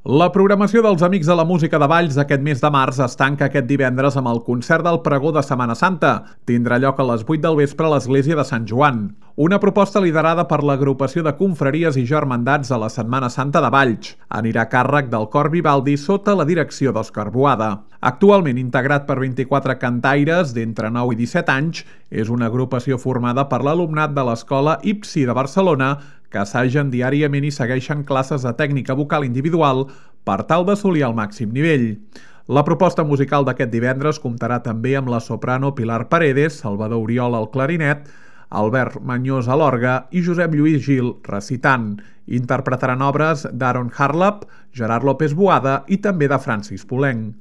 La programació dels Amics de la Música de Valls aquest mes de març es tanca aquest divendres amb el concert del Pregó de Setmana Santa. Tindrà lloc a les 8 del vespre a l'església de Sant Joan. Una proposta liderada per l'agrupació de confraries i germandats de la Setmana Santa de Valls. Anirà a càrrec del Cor Vivaldi sota la direcció d'Òscar Boada. Actualment integrat per 24 cantaires d'entre 9 i 17 anys, és una agrupació formada per l'alumnat de l'Escola IPSI de Barcelona que assagen diàriament i segueixen classes de tècnica vocal individual per tal d'assolir el màxim nivell. La proposta musical d'aquest divendres comptarà també amb la soprano Pilar Paredes, Salvador Oriol al clarinet, Albert Mañós a l'orgue i Josep Lluís Gil recitant. Interpretaran obres d'Aaron Harlap, Gerard López Boada i també de Francis Poulenc.